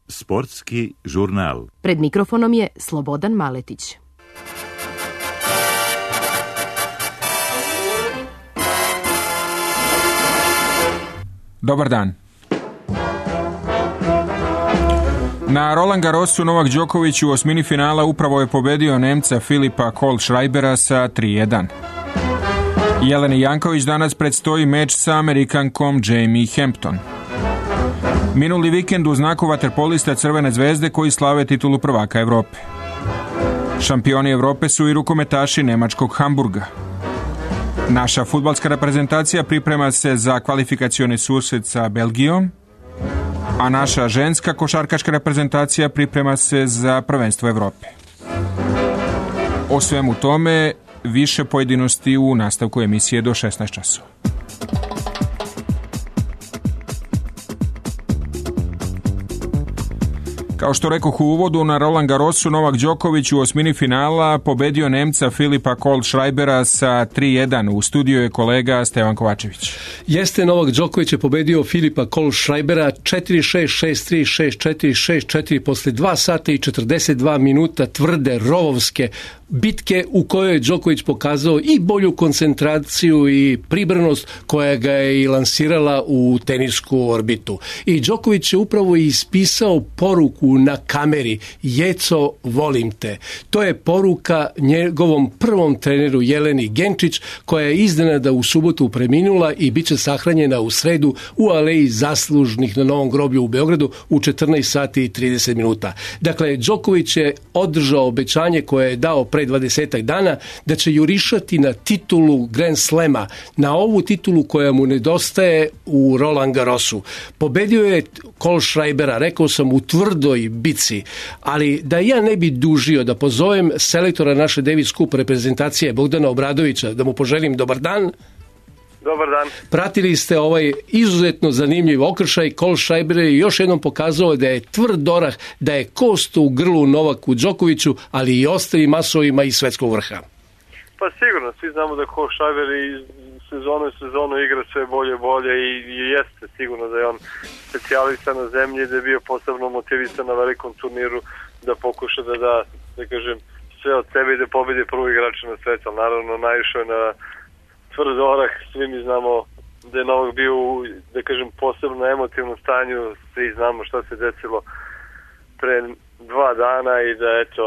Sportski žurnal. Pred mikrofonom je Slobodan Maletić. Dobar dan. Na Roland Garrosu Novak Đoković u osmini finala upravo je pobedio Nemca Filipa Kohlschreibera sa 3:1. Jeleni Janković danas predstoji meč sa Amerikankom Jamie Hampton. Minuli vikend u znaku vaterpolista Crvene zvezde koji slave titulu prvaka Evrope. Šampioni Evrope su i rukometaši nemačkog Hamburga. Naša fudbalska reprezentacija priprema se za kvalifikacioni susret sa Belgijom, a naša ženska košarkaška reprezentacija priprema se za prvenstvo Evrope. O svemu tome više pojedinosti u nastavku emisije do 16 časova. Kao što rekoh u uvodu, na Roland Garrosu Novak Đoković u osmini finala pobedio Nemca Filipa Kohlschreibera sa 3:1. U studiju je kolega Stevan Kovačević. Jeste, Novak Đoković je pobedio Filipa Kohlschreibera 4:6, 6:3, 6:4, 6:4 posle 2 sata i 42 minuta tvrde rovovske bitke u kojoj je Đoković pokazao i bolju koncentraciju i pribranost koja ga je i lansirala u tenisku orbitu. I Đoković je upravo ispisao poruku na kameri: Jeco, volim te. To je poruka njegovom prvom treneru Jeleni Genčić, koja je iznenada u subotu preminula i bit će sahranjena u sredu u aleji zaslužnih na Novom groblju u Beogradu u 14 sati i 30 minuta. Dakle, Đoković je održao obećanje koje je dao pre 20 dana da će jurišati na titulu Grand Slema, na ovu titulu koja mu nedostaje u Roland Garrosu. Pobedio je Kohlschreibera, rekao sam, u tvrdoj bici, ali da ja ne bi dužio, da pozovem selektora naše Davis Cup reprezentacije Bogdana Obradovića, da mu poželim dobar dan. Dobar dan. Pratili ste ovaj izuzetno zanimljiv okršaj. Kohlschreiber je još jednom pokazao da je tvrd orah, da je kost u grlu Novaku Đokoviću, ali i ostalim masovima iz svetskog vrha. Pa sigurno, svi znamo da Kohlschreiber iz sezonu igra sve bolje i jeste sigurno da je on specijalista na zemlji, da je bio posebno motivisan na velikom turniru da pokuša da kažem, sve od sebe i da pobedi prvog igrača na svetu. Naravno, naišao je na tvrd orah, svi mi znamo da je Novak bio u, da kažem, posebno emotivnom stanju, svi znamo šta se desilo pre 2 dana i da eto,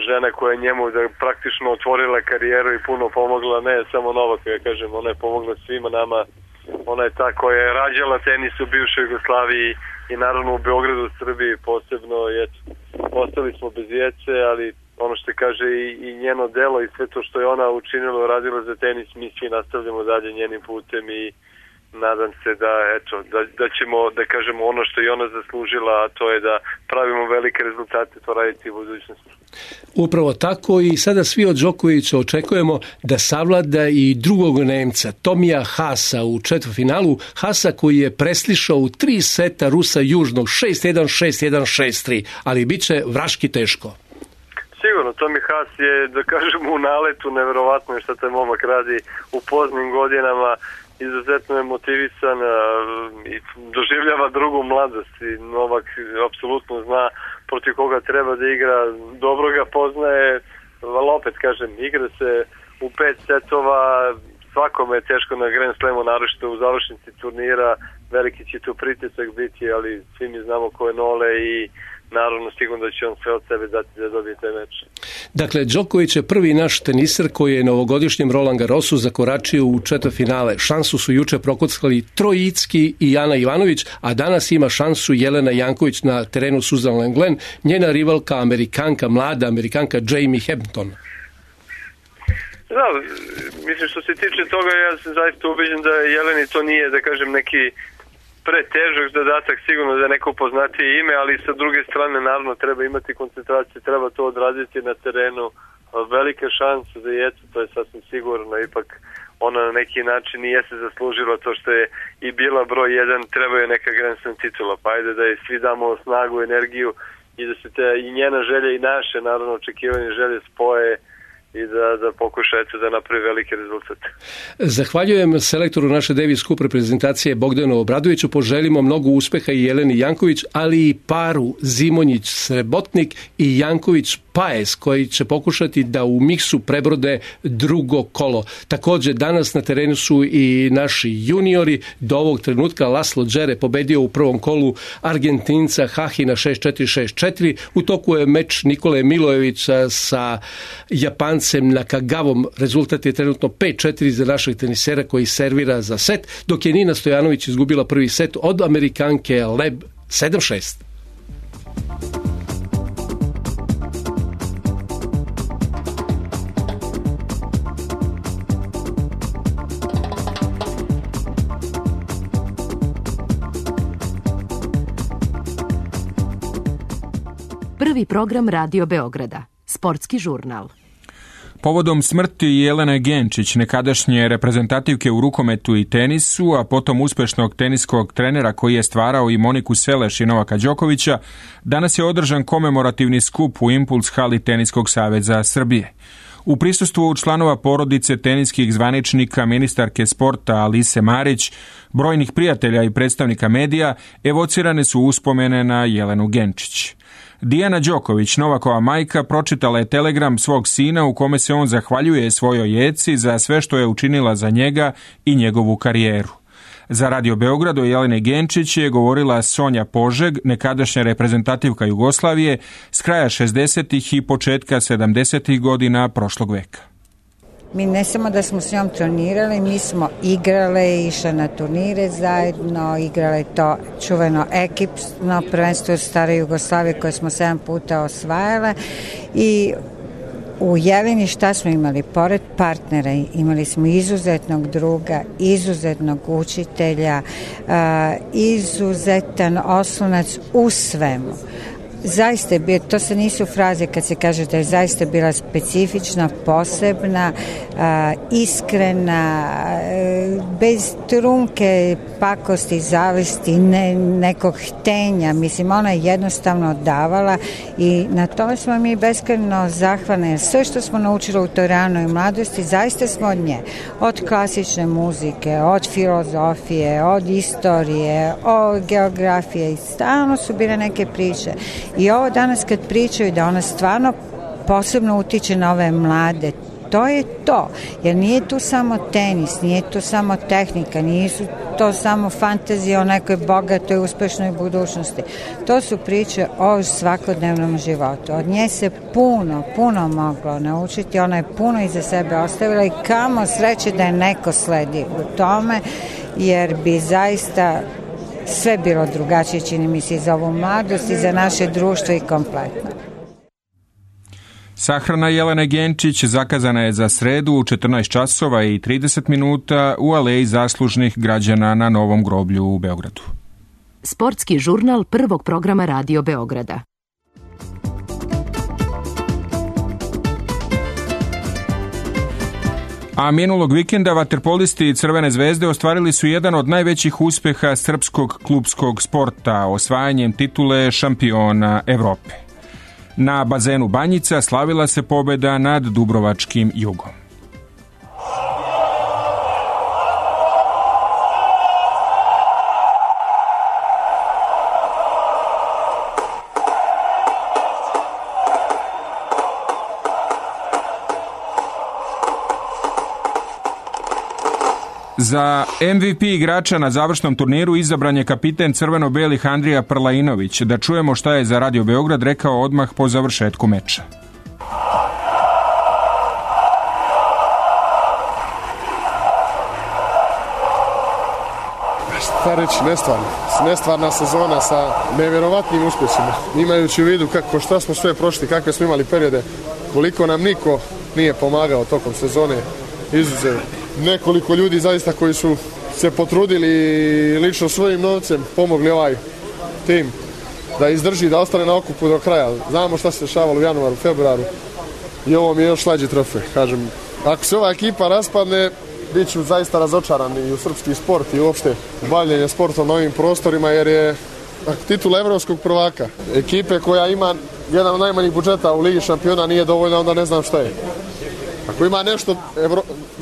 žena koja je njemu da praktično otvorila karijeru i puno pomogla, ne samo Novaku, ja kažem, ona je pomogla svima nama, ona je ta koja je rađala tenis u bivšoj Jugoslaviji i naravno u Beogradu, Srbiji posebno, eto, ostali smo bez djece, ali ono što kaže i njeno delo i sve to što je ona učinila, radila za tenis, mi svi nastavljamo dalje njenim putem i nadam se da ćemo, da kažemo, ono što je ona zaslužila, a to je da pravimo velike rezultate, to raditi u budućnosti. Upravo tako, i sada svi od Đokovića očekujemo da savlada i drugog Nemca, Tomija Haasa, u četvrtfinalu. Haasa koji je preslišao u 3 seta Rusa južnog 6:1, 6:1, 6:3, ali bit će vraški teško. Sigurno, Tommy Haas je, da kažemo, u naletu, neverovatno je što taj momak radi u poznim godinama, izuzetno je motivisan i doživljava drugu mladost i Novak apsolutno zna protiv koga treba da igra, dobro ga poznaje, ali opet kažem, igra se u 5 setova, svakome je teško na Grand Slamu, naročito u završnici turnira, veliki će tu pritisak biti, ali svi mi znamo ko je Nole i naravno sigurno da će on sve od sebe dati da dobije taj meč. Dakle, Đoković je prvi naš teniser koji je na ovogodišnjem Roland Garrosu zakoračio u četvrtfinale. Šansu su juče prokockali Trojicki i Ana Ivanović, a danas ima šansu Jelena Janković na terenu Suzan Glen, njena rivalka mlada Amerikanka Jamie Hampton. Da, mislim što se tiče toga, ja sam zaista ubeđen da Jeleni to nije, da kažem, neki pretežak zadatak, sigurno da je neko poznatije ime, ali sa druge strane naravno treba imati koncentraciju, treba to odraditi na terenu. Velike šanse za Jecu, to je sasvim sigurno, ipak ona na neki način nije se zaslužila to što je i bila broj 1, treba je neka Grand Slam titula, pa ajde da je svi damo snagu, energiju i da se i njena želja i naše naravno očekivanje želje spoje i da pokuša da napravi veliki rezultat. Zahvaljujem selektoru naše Davis Cup reprezentacije Bogdanu Obradoviću, poželimo mnogo uspeha i Jeleni Janković, ali i paru Zimonjić-Srebotnik i Janković-Paes, koji će pokušati da u miksu prebrode drugo kolo. Također danas na terenu su i naši juniori. Do ovog trenutka Laslo Džere pobedio u prvom kolu Argentinca Hahina 6-4-6-4. U toku je meč Nikole Milojevića sa Japancem Nakagavom. Rezultat je trenutno 5-4 za našeg tenisera koji servira za set, dok je Nina Stojanović izgubila prvi set od Amerikanke Leb 7-6. Prvi program Radio Beograda. Sportski žurnal. Povodom smrti Jelene Genčić, nekadašnje reprezentativke u rukometu i tenisu, a potom uspešnog teniskog trenera koji je stvarao i Moniku Seleš i Novaka Đokovića, danas je održan komemorativni skup u Impuls hali Teniskog saveza Srbije. U prisustvu članova porodice teniskih zvaničnika, ministarke sporta Alise Marić, brojnih prijatelja i predstavnika medija, evocirane su uspomene na Jelenu Genčić. Dijana Đoković, Novakova majka, pročitala je telegram svog sina u kome se on zahvaljuje svojoj jeci za sve što je učinila za njega i njegovu karijeru. Za Radio Beograd o Jeleni Genčić je govorila Sonja Požeg, nekadašnja reprezentativka Jugoslavije s kraja 60. i početka 70. godina prošlog veka. Mi ne samo da smo s njom trenirali, mi smo igrale, išle na turnire zajedno, igrale to čuveno ekipno prvenstvo stare Jugoslavije koje smo 7 puta osvajale i u Jeleni šta smo imali? Pored partnera imali smo izuzetnog druga, izuzetnog učitelja, izuzetan oslonac u svemu. Zaista je bio, to se nisu fraze kad se kaže da je zaista bila specifična, posebna, iskrena, bez trunke pakosti, zavisti, nekog htenja. Mislim, ona je jednostavno davala i na tome smo mi beskrajno zahvalni. Sve što smo naučili u toj ranoj mladosti, zaista smo od nje. Od klasične muzike, od filozofije, od istorije, od geografije i stalno su bile neke priče. I ovo danas kad pričaju da ona stvarno posebno utiče na ove mlade, to je to, jer nije tu samo tenis, nije tu samo tehnika, nisu to samo fantazije o nekoj bogatoj, uspešnoj budućnosti. To su priče o svakodnevnom životu. Od nje se puno moglo naučiti, ona je puno iza sebe ostavila i kamo sreće da je neko sledi u tome, jer bi zaista sve bilo drugačije, čini mi se, za ovu mladost i za naše društvo i kompletno. Sahrana Jelene Genčić zakazana je za sredu u 14 časova i 30 minuta u Aleji zaslužnih građana na Novom groblju u Beogradu. Sportski žurnal prvog programa Radio Beograda. A minulog vikenda vaterpolisti Crvene zvezde ostvarili su jedan od najvećih uspeha srpskog klupskog sporta, osvajanjem titule šampiona Evrope. Na bazenu Banjica slavila se pobjeda nad dubrovačkim Jugom. Za MVP igrača na završnom turniru izabran je kapiten crveno-belih Andrija Prlainović. Da čujemo šta je za Radio Beograd rekao odmah po završetku meča. Šta reći, nestvarna sezona sa nevjerovatnim uspjesima. Imajući u vidu šta smo sve prošli, kakve smo imali periode, koliko nam niko nije pomagao tokom sezone, izuzev nekoliko ljudi zaista koji su se potrudili lično svojim novcem pomogli ovaj tim da izdrži, da ostane na okupu do kraja. Znamo šta se dešavalo u januaru, februaru i ovo mi je još slađi trofej. Kažem, ako se ova ekipa raspadne, bit ću zaista razočaran i u srpski sport i uopšte u bavljenje sportom na ovim prostorima, jer je titula evropskog prvaka ekipe koja ima jedan od najmanjih budžeta u Ligi šampiona nije dovoljna, onda ne znam šta je. Ako ima nešto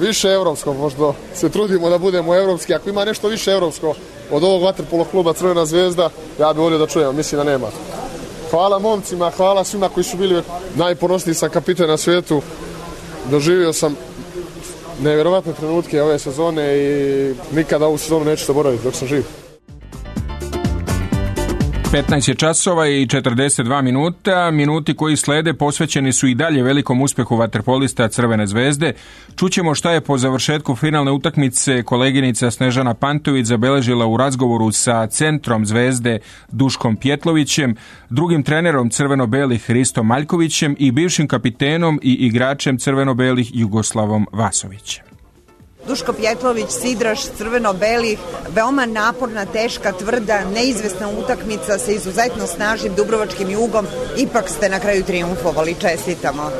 više evropsko, možda se trudimo da budemo evropski, ako ima nešto više evropsko od ovog vaterpolo kluba Crvena zvezda, ja bih volio da čujem, mislim da nema. Hvala momcima, hvala svima koji su bili, najponosniji sam kapitan na svijetu, doživio sam nevjerovatne trenutke ove sezone i nikada ovu sezonu neću zaboraviti dok sam živ. 15 je časova i 42 minuta. Minuti koji slede posvećeni su i dalje velikom uspjehu vaterpolista Crvene zvezde. Čućemo šta je po završetku finalne utakmice koleginica Snežana Pantović zabeležila u razgovoru sa centrom Zvezde Duškom Pjetlovićem, drugim trenerom crveno-belih Hristom Maljkovićem i bivšim kapitenom i igračem crveno-belih Jugoslavom Vasovićem. Duško Pjetlović, sidraš crveno-belih, veoma naporna, teška, tvrda, neizvesna utakmica sa izuzetno snažnim dubrovačkim Jugom, ipak ste na kraju trijumfovali, čestitamo.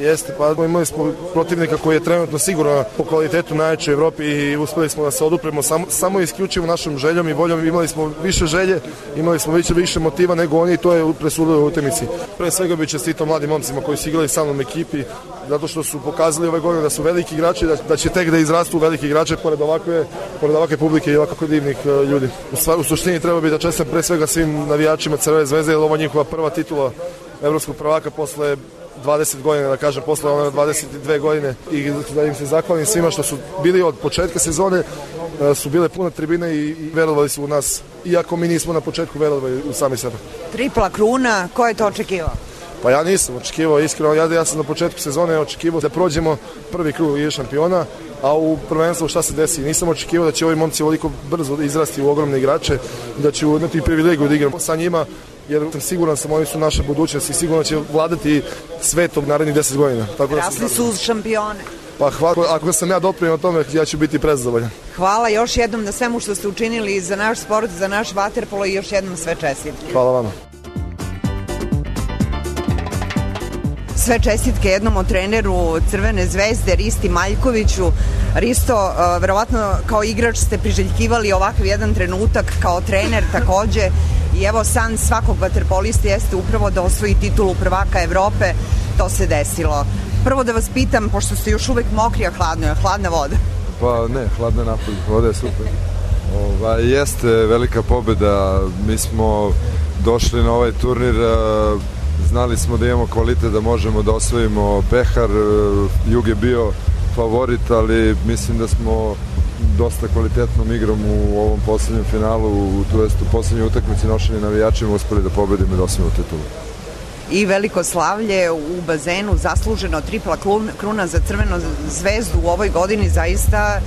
Jeste, pa imali smo protivnika koji je trenutno sigurno po kvalitetu najjači u Evropi i uspeli smo da se odupremo samo isključivo našom željom i voljom, imali smo više želje, imali smo više motiva nego oni i to je presudilo u utakmici. Pre svega bih čestitao mladim momcima koji su igrali sa mnom ekipi, zato što su pokazali ove godine da su veliki igrači, da će tek da izrastu veliki igrače pored ovakve publike i ovako divnih ljudi. U suštini treba bi da čestitam pre svega svim navijačima Crvene zvezde, jer ovo njihova prva titula evropskog prvaka posle 20 godina, da kažem, posle 22 godine i da im se zahvalim svima što su bili od početka sezone, su bile pune tribine i verovali su u nas, iako mi nismo na početku verovali u sami sebe. Tripla kruna, ko je to očekivao? Pa ja nisam očekivao, iskreno, ja sam na početku sezone očekivao da prođemo prvi krug Lige šampiona, a u prvenstvu šta se desi? Nisam očekivao da će ovi momci ovoliko brzo izrasti u ogromne igrače, da će imati privilegiju da igram sa njima, jer sam siguran oni su naša budućnost i sigurno će vladati svetom narednih 10 godina. Rasli su uz šampione. Pa hvala, ako sam ja doprinio o tome, ja ću biti prezadovoljan. Hvala još jednom na svemu što ste učinili za naš sport, za naš vaterpolo i još jednom sve čestitke. Hvala vama. Sve čestitke jednom od treneru Crvene zvezde, Risti Maljkoviću. Risto, verovatno kao igrač ste priželjkivali ovakav jedan trenutak, kao trener takođe. I evo san svakog vaterpolista jeste upravo da osvoji titulu prvaka Evrope. To se desilo. Prvo da vas pitam, pošto ste još uvek mokri, a hladno je, hladna voda? Pa ne, hladna je napolje, voda je super. Jeste velika pobjeda, mi smo došli na ovaj turnir, znali smo da imamo kvalitet da možemo da osvojimo pehar, Jug je bio favorit, ali mislim da smo dosta kvalitetnom igrom u ovom poslednjem finalu, to jest u poslednjoj utakmici nošenja navijačima uspeli da pobedimo i da osvojimo titulu. I veliko slavlje u bazenu, zasluženo, tripla kruna za Crvenu zvezdu u ovoj godini, zaista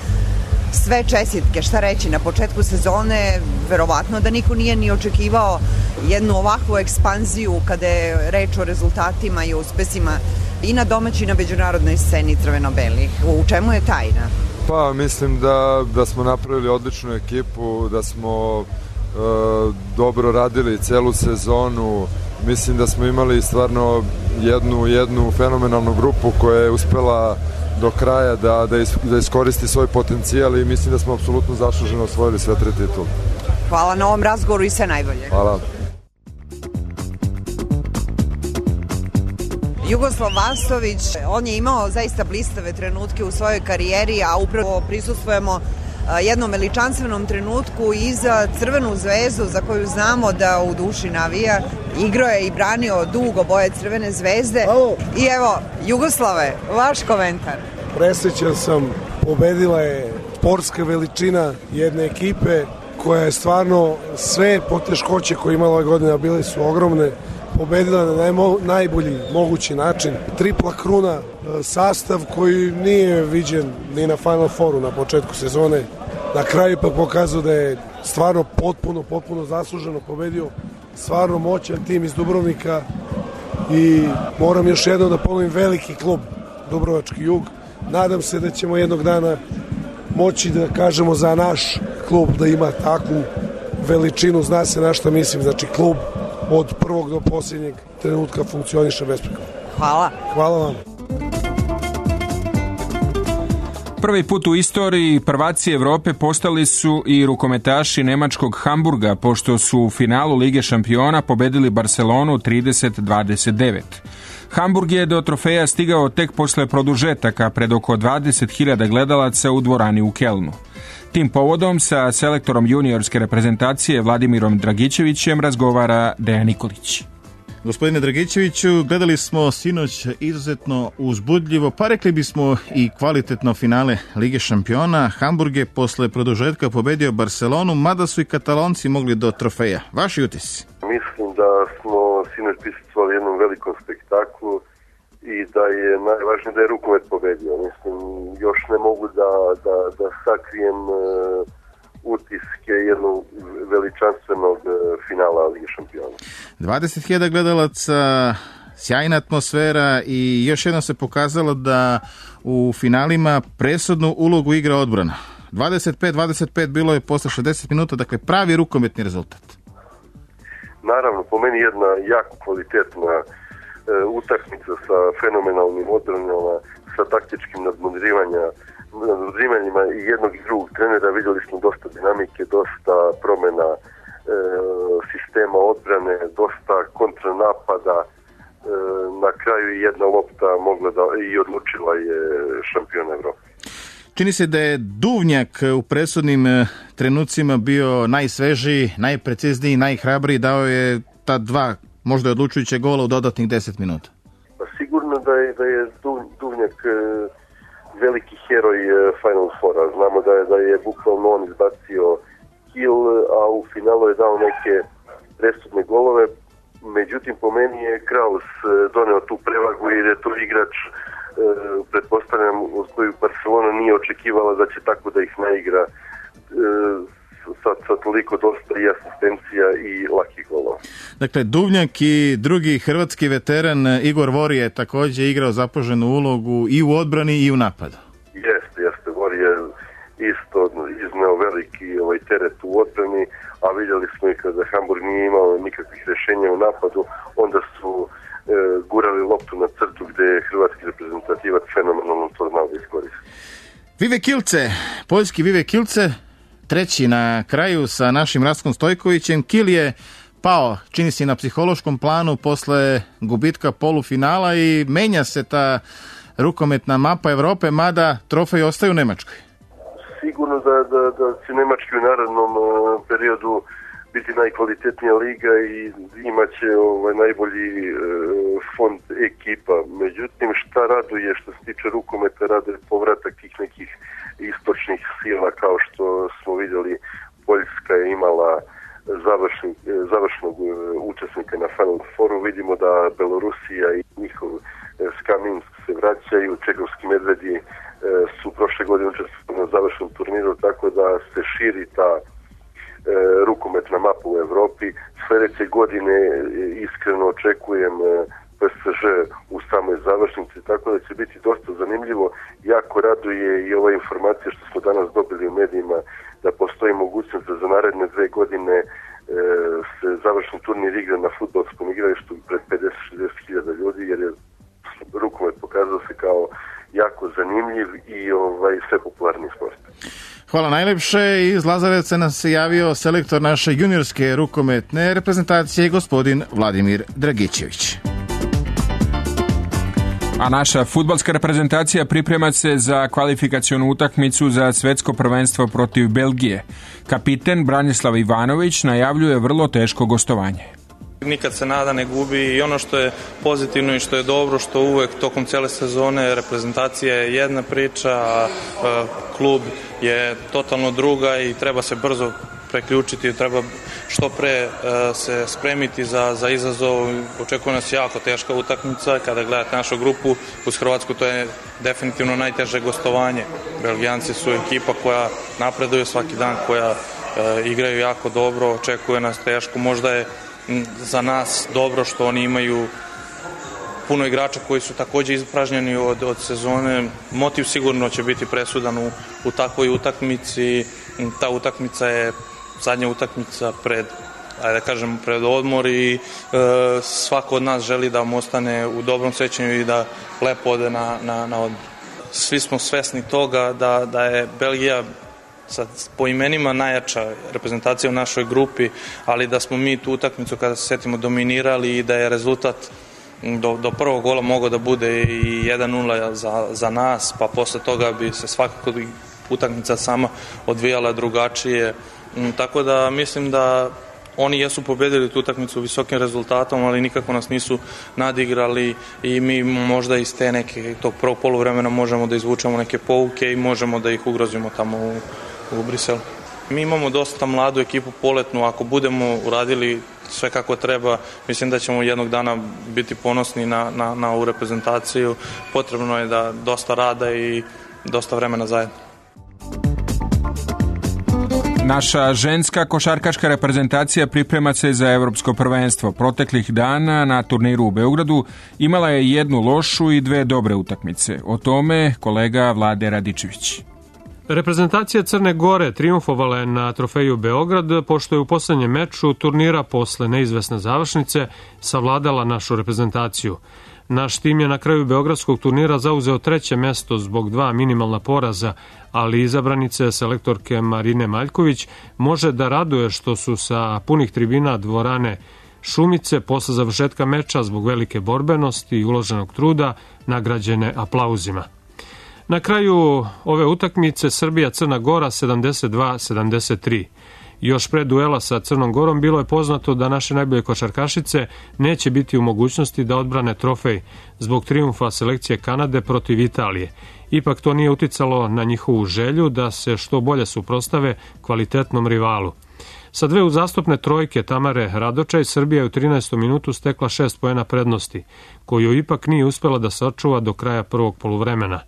sve čestitke. Šta reći, na početku sezone verovatno da niko nije ni očekivao jednu ovakvu ekspanziju kada je reč o rezultatima i uspesima i na domaćoj i na međunarodnoj sceni crveno-belih. U čemu je tajna? Pa mislim da smo napravili odličnu ekipu, da smo dobro radili celu sezonu. Mislim da smo imali stvarno jednu fenomenalnu grupu koja je uspela do kraja da iskoristi svoj potencijal i mislim da smo apsolutno zasluženo osvojili sve 3 titule. Hvala na ovom razgovoru i sve najbolje. Hvala. Jugoslav Vasović, on je imao zaista blistave trenutke u svojoj karijeri, a upravo prisustvujemo jednom veličanstvenom trenutku i za Crvenu zvezdu, za koju znamo da u duši navija. Igrao je i branio dugo boje Crvene zvezde. I evo, Jugoslave, vaš komentar. Presrećan sam, pobedila je sportska veličina jedne ekipe koja je stvarno sve poteškoće koje imala ove godine, bile su ogromne, pobedila na najbolji mogući način. Tripla kruna, sastav koji nije viđen ni na Final Fouru na početku sezone. Na kraju pa pokazao da je stvarno potpuno zasluženo pobedio. Stvarno moćan tim iz Dubrovnika i moram još jednom da ponovim, veliki klub Dubrovački Jug. Nadam se da ćemo jednog dana moći da kažemo za naš klub da ima takvu veličinu, zna se na šta mislim, znači klub od prvog do posljednjeg trenutka funkcioniše besprekorno. Hvala. Hvala vam. Prvi put u istoriji prvaci Europe postali su i rukometaši nemačkog Hamburga, pošto su u finalu Lige šampiona pobedili Barcelonu 30-29. Hamburg je do trofeja stigao tek posle produžetaka pred oko 20.000 gledalaca u dvorani u Kelnu. Tim povodom sa selektorom juniorske reprezentacije Vladimirom Dragičevićem razgovara Dejan Nikolić. Gospodine Dragičeviću, gledali smo sinoć izuzetno uzbudljivo, pa rekli bismo i kvalitetno finale Lige šampiona. Hamburg je posle produžetka pobedio Barcelonu, mada su i Katalonci mogli do trofeja. Vaši utisci? Mislim da smo sinoć prisustvovali jednom velikom spektaklu i da je najvažnije da je rukomet pobedio. Mislim, još ne mogu da sakrijem utiske jednog veličanstvenog finala Lige šampiona. 20.000 gledalaca, sjajna atmosfera i još jednom se pokazalo da u finalima presudnu ulogu igra odbrana. 25-25 bilo je posle 60 minuta, dakle pravi rukometni rezultat. Naravno, po meni jedna jako kvalitetna utakmica sa fenomenalnim odbranama, sa taktičkim nadmudrivanjima i jednog i drugog trenera. Vidjeli smo dosta dinamike, dosta promjena sistema odbrane, dosta kontranapada. Na kraju jedna lopta mogla da i odlučila je šampion Evrope. Čini se da je Duvnjak u presudnim trenucima bio najsvežiji, najprecizniji, najhrabriji, dao je ta dva možda odlučujuće gola u dodatnih 10 minuta. Pa sigurno da je Duvnjak veliki heroj Final Fora. Znamo da je bukvalno on izbacio kill, a u finalu je dao neke presudne golove. Međutim, po meni je Kraus doneo tu prevagu jer je to igrač, pretpostavljam, od koju Barcelona nije očekivala da će tako da ih naigra sa toliko dosta i asistencija i lakih golova. Dakle, Duvnjak i drugi hrvatski veteran Igor Vori je također igrao zapaženu ulogu i u odbrani i u napadu. Jeste. Vori je isto izneo veliki teret u odbrani, a vidjeli smo i kada Hamburg nije imao nikakvih rješenja u napadu, onda su gurali loptu na crtu gdje je hrvatski reprezentativac fenomenalno to znao da iskoristi. Vive Kilce, poljski Vive Kilce, treći na kraju sa našim Rastkom Stojkovićem. Kil je pao, čini se, na psihološkom planu posle gubitka polufinala i menja se ta rukometna mapa Evrope, mada trofej ostaje u Nemačkoj. Sigurno da će Nemački u narednom periodu biti najkvalitetnija liga i imaće najbolji fond ekipa. Međutim, šta raduje što se tiče rukometa, raduje povratak tih nekih istočnih sila, kao što smo vidjeli, Poljska je imala završnog učesnika na Final Fouru. Vidimo da Belorusija i njihov SKA Minsk se vraćaju, čehovski medvedi su prošle godine učestvovali na završnom turniru, tako da se širi ta rukometna mapa u Evropi. Sljedeće godine iskreno očekujem PSG u samoj završnici, tako da će biti dosta zanimljivo. Jako raduje i ova informacija što smo danas dobili u medijima da postoji mogućnost da za naredne 2 godine se završni turnir igra na fudbalskom igralištu pred 50-60 hiljada ljudi, jer je rukomet pokazao se kao jako zanimljiv i sve popularni sport. Hvala najlepše. Iz Lazarevca nas se javio selektor naše juniorske rukometne reprezentacije, gospodin Vladimir Dragičević. A naša fudbalska reprezentacija priprema se za kvalifikacionu utakmicu za svetsko prvenstvo protiv Belgije. Kapiten Branislav Ivanović najavljuje vrlo teško gostovanje. Nikad se nada ne gubi i ono što je pozitivno i što je dobro, što uvek tokom cijele sezone reprezentacija je jedna priča, a klub je totalno druga i treba se brzo preključiti, treba što pre se spremiti za izazov. Očekuje nas jako teška utakmica. Kada gledate našu grupu uz Hrvatsku, to je definitivno najteže gostovanje. Belgijanci su ekipa koja napreduje svaki dan, koja igraju jako dobro, očekuje nas teško. Možda je za nas dobro što oni imaju puno igrača koji su također ispražnjeni od sezone. Motiv sigurno će biti presudan u takvoj utakmici. Ta utakmica je zadnja utakmica pred odmor i svako od nas želi da mu ostane u dobrom sećanju i da lepo ode na odmor. svi smo svesni toga da je Belgija po imenima najjača reprezentacija u našoj grupi, ali da smo mi tu utakmicu, kada se setimo, dominirali i da je rezultat do prvog gola mogao da bude i 1-0 za nas, pa posle toga bi se svakako utakmica sama odvijala drugačije. Tako da mislim da oni jesu pobedili tu utakmicu visokim rezultatom, ali nikako nas nisu nadigrali i mi možda iz tog prvog poluvremena možemo da izvučemo neke pouke i možemo da ih ugrozimo tamo u Briselu. Mi imamo dosta mladu ekipu poletnu, ako budemo uradili sve kako treba, mislim da ćemo jednog dana biti ponosni na ovu reprezentaciju. Potrebno je da dosta rada i dosta vremena zajedno. Naša ženska košarkaška reprezentacija priprema se za evropsko prvenstvo. Proteklih dana na turniru u Beogradu imala je jednu lošu i dve dobre utakmice. O tome kolega Vlade Radičević. Reprezentacija Crne Gore triumfovala je na trofeju Beograd, pošto je u poslednjem meču turnira posle neizvesne završnice savladala našu reprezentaciju. Naš tim je na kraju beogradskog turnira zauzeo 3. mesto zbog 2 minimalna poraza, ali izabranice selektorke Marine Maljković može da raduje što su sa punih tribina dvorane Šumice posle završetka meča zbog velike borbenosti i uloženog truda nagrađene aplauzima. Na kraju ove utakmice Srbija-Crna Gora 72-73. Još pre duela sa Crnom Gorom bilo je poznato da naše najbolje košarkašice neće biti u mogućnosti da odbrane trofej zbog trijumfa selekcije Kanade protiv Italije. Ipak to nije uticalo na njihovu želju da se što bolje suprostave kvalitetnom rivalu. Sa dve uzastopne trojke Tamare Radočaj, Srbija je u 13. minutu stekla 6 poena prednosti, koju ipak nije uspela da sačuva do kraja prvog poluvremena.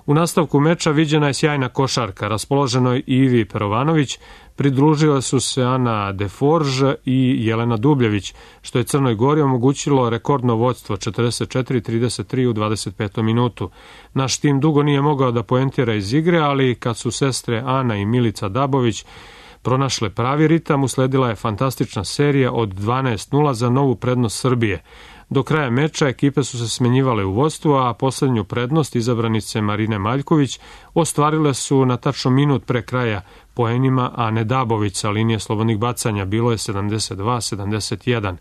U nastavku meča viđena je sjajna košarka, raspoloženoj Ivi Perovanović, pridružile su se Ana Deforge i Jelena Dubljević, što je Crnoj Gori omogućilo rekordno vođstvo 44-33 u 25. minutu. Naš tim dugo nije mogao da poentira iz igre, ali kad su sestre Ana i Milica Dabović pronašle pravi ritam, usledila je fantastična serija od 12-0 za novu prednost Srbije. Do kraja meča ekipe su se smenjivale u vodstvu, a poslednju prednost izabranice Marine Maljković ostvarile su na tačno minut pre kraja poenima Ane Dabović sa linije slobodnih bacanja. Bilo je 72-71.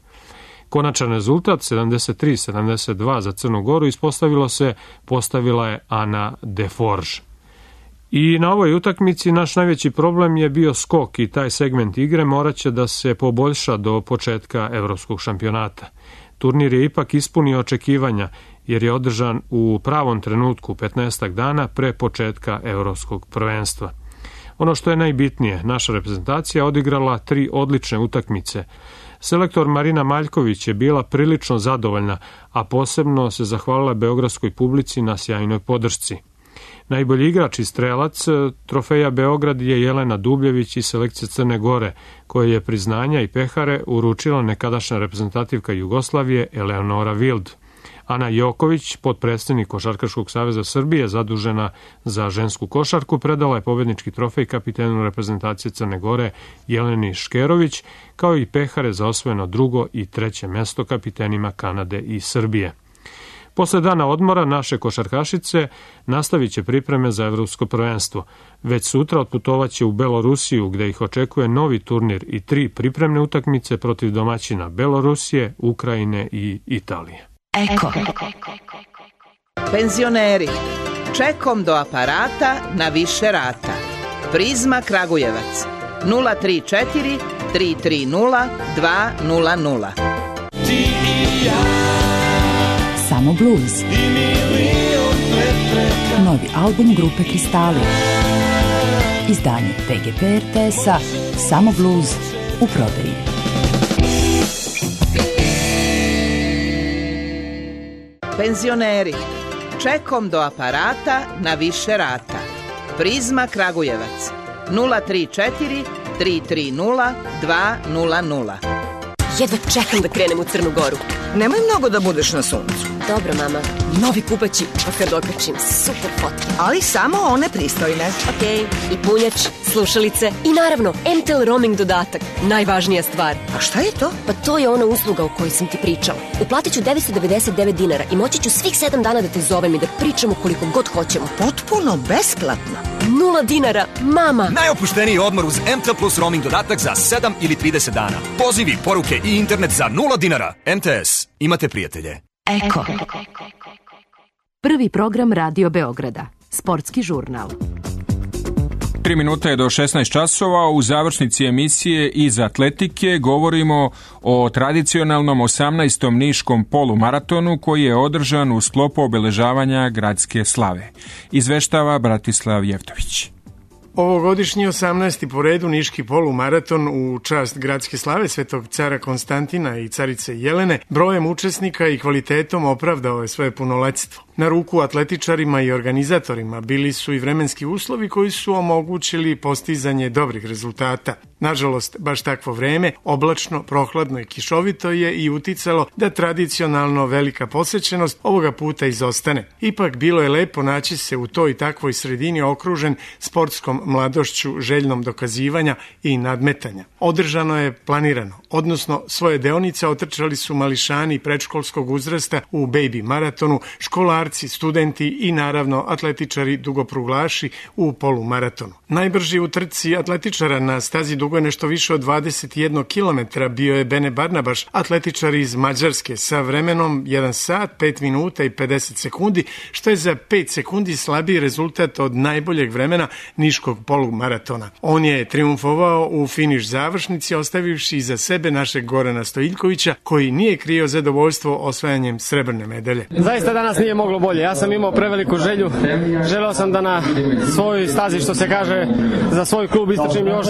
Konačan rezultat 73-72 za Crnu Goru postavila je Ana Deforge. I na ovoj utakmici naš najveći problem je bio skok i taj segment igre moraće da se poboljša do početka evropskog šampionata. Turnir je ipak ispunio očekivanja jer je održan u pravom trenutku 15 dana pre početka evropskog prvenstva. Ono što je najbitnije, naša reprezentacija odigrala 3 odlične utakmice. Selektor Marina Maljković je bila prilično zadovoljna, a posebno se zahvalila beogradskoj publici na sjajnoj podršci. Najbolji igrač i strelac trofeja Beograd je Jelena Dubljević iz selekcije Crne Gore, koje je priznanja i pehare uručila nekadašnja reprezentativka Jugoslavije Eleonora Wild. Ana Joković, potpredsednik Košarkaškog saveza Srbije, zadužena za žensku košarku, predala je pobednički trofej kapitenu reprezentacije Crne Gore Jeleni Škerović, kao i pehare za osvojeno 2. i 3. mesto kapitenima Kanade i Srbije. Posle dana odmora naše košarkašice nastavit će pripreme za evropsko prvenstvo. Već sutra otputovaće u Belorusiju, gde ih očekuje novi turnir i 3 pripremne utakmice protiv domaćina Belorusije, Ukrajine i Italije. Eko. Penzioneri, čekom do aparata na više rata. Prizma Kragujevac 034 330 200. Ti i ja. Samo blues. Novi album grupe Kristali. Izdanje PGP RTS-a Samo blues u prodaji. Penzioneri, čekom do aparata na više rata. Prizma Kragujevac 034 330 200. Jedva čekam da krenem u Crnu Goru. Nemoj mnogo da budeš na suncu. Dobro, mama. Novi kupaći, pa kad okačim, super fotke. Ali samo one pristojne. Okej, i punjač, slušalice i naravno MTEL roaming dodatak. Najvažnija stvar. A šta je to? Pa to je ona usluga o kojoj sam ti pričala. Uplatit ću 999 dinara i moći ću svih 7 dana da te zovem i da pričamo koliko god hoćemo. Potpuno besplatno. 0 dinara, mama. Najopušteniji odmor uz MTEL plus roaming dodatak za 7 ili 30 dana. Pozivi, poruke i internet za 0 dinara. MTS. Imate prijatelje. Eko. Prvi program Radio Beograda. Sportski žurnal. 3 minuta je do 16 časova. U završnici emisije iz atletike govorimo o tradicionalnom 18. niškom polumaratonu koji je održan u sklopu obeležavanja gradske slave. Izveštava Bratislav Jevtović. Ovogodišnji 18. po redu niški polumaraton u čast gradske slave Svetog cara Konstantina i carice Jelene brojem učesnika i kvalitetom opravdao je svoje punoletstvo. Na ruku atletičarima i organizatorima bili su i vremenski uslovi koji su omogućili postizanje dobrih rezultata. Nažalost, baš takvo vreme, oblačno, prohladno i kišovito je i uticalo da tradicionalno velika posećenost ovoga puta izostane. Ipak bilo je lepo naći se u toj takvoj sredini okružen sportskom mladošću željnom dokazivanja i nadmetanja. Održano je planirano, odnosno svoje deonice otrčali su mališani predškolskog uzrasta u baby maratonu, školarci, studenti i naravno atletičari dugopruglaši u polumaratonu. Najbrži u trci atletičara na stazi dugo nešto više od 21 km bio je Bene Barnabaš, atletičar iz Mađarske sa vremenom 1 sat, 5 minuta i 50 sekundi, što je za 5 sekundi slabiji rezultat od najboljeg vremena niškog polumaratona. On je triumfovao u finiš završnici, ostavivši iza sebe našeg Gorana Stojiljkovića, koji nije krio zadovoljstvo osvajanjem srebrne medalje. Zaista danas nije moglo bolje. Ja sam imao preveliku želju. Želeo sam da na svojoj stazi, što se kaže, za svoj klub istračim još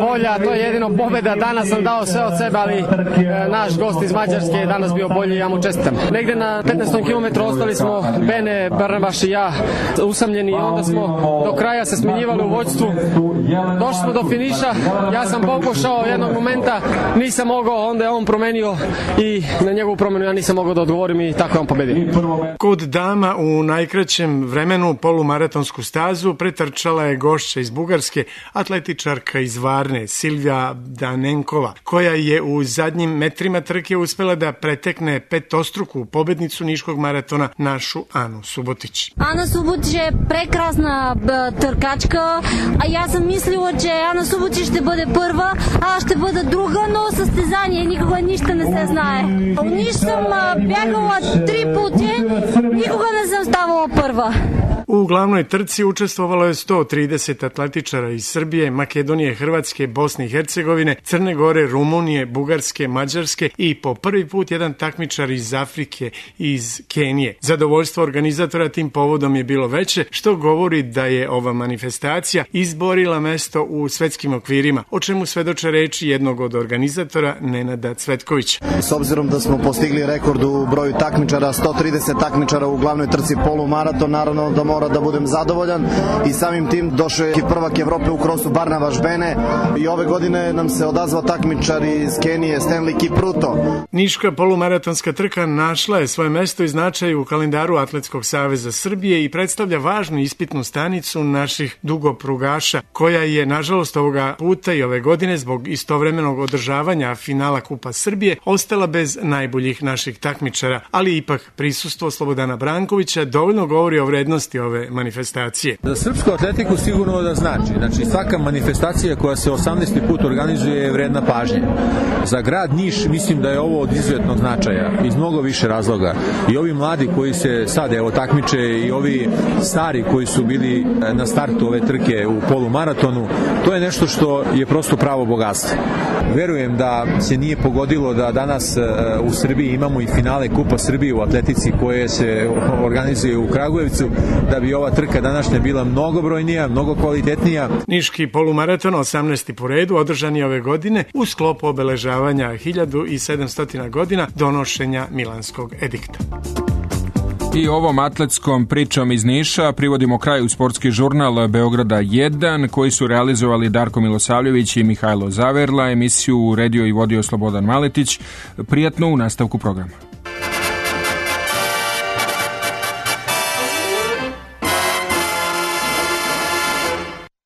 bolja. To je jedino pobjeda. Danas sam dao sve od sebe, ali naš gost iz Mađarske je danas bio bolji i ja mu čestitam. Negde na 15. kilometru ostali smo Bene, Barnabaš i ja usamljeni i onda smo do kraja se smenjivali u vođstvu. Došli smo do finiša. Ja sam pokušao jednog momenta, nisam mogao, onda je on promenio i na njegovu promenu ja nisam mogao da odgovorim i tako je on pobedio. Kod dama u najkraćem vremenu polumaratonsku stazu pretrčala je gošća iz Bugarske, atletičarka iz Varne, Silvija Danenkova, koja je u zadnjim metrima trke uspela da pretekne petostruku pobednicu niškog maratona, našu Anu Subotić. Ана Суботич е прекрасна търкачка, а я съм мислила, че Ана Суботич ще бъде първа, а аз ще бъда друга, но състезание никога нищо не се знае. У Ниш съм бягала 3 пъти, никога не съм ставала първа. U glavnoj trci učestvovalo je 130 atletičara iz Srbije, Makedonije, Hrvatske, Bosne i Hercegovine, Crne Gore, Rumunije, Bugarske, Mađarske i po prvi put jedan takmičar iz Afrike i iz Kenije. Zadovoljstvo organizatora tim povodom je bilo veće, što govori da je ova manifestacija izborila mesto u svetskim okvirima, o čemu svedoče reči jednog od organizatora, Nenada Cvetkovića. S obzirom da smo postigli rekord u broju takmičara, 130 takmičara u glavnoj trci polumaraton, naravno da mora da budem zadovoljan i samim tim došao je prvak Evrope u krosu Barnabaš Bene i ove godine nam se odazvao takmičar iz Kenije Stanley Kipruto. Niška polumaratonska trka našla je svoje mesto i značaj u kalendaru Atletskog saveza Srbije i predstavlja važnu ispitnu stanicu naših dugoprugaša, koja je nažalost ovoga puta i ove godine zbog istovremenog održavanja finala Kupa Srbije ostala bez najboljih naših takmičara, ali ipak prisustvo Slobodana Brankovića dovoljno govori o vrednosti ove manifestacije. Za srpsku atletiku sigurno da znači svaka manifestacija koja se 18. put organizuje je vredna pažnje. Za grad Niš mislim da je ovo od izuzetnog značaja iz mnogo više razloga. I ovi mladi koji se sad evo takmiče i ovi stari koji su bili na startu ove trke u polumaratonu, to je nešto što je prosto pravo bogatstvo. Verujem da se nije pogodilo da danas u Srbiji imamo i finale Kupa Srbije u atletici koje se organizuje u Kragujevcu, da bi ova trka današnja bila mnogobrojnija, mnogo kvalitetnija. Niški polumaraton 18. po redu održan je ove godine u sklopu obeležavanja 1700 godina donošenja Milanskog edikta. I ovom atletskom pričom iz Niša privodimo kraju sportski žurnal Beograda 1, koji su realizovali Darko Milosavljević i Mihajlo Zaverla. Emisiju uredio i vodio Slobodan Maletić. Prijatno u nastavku programa.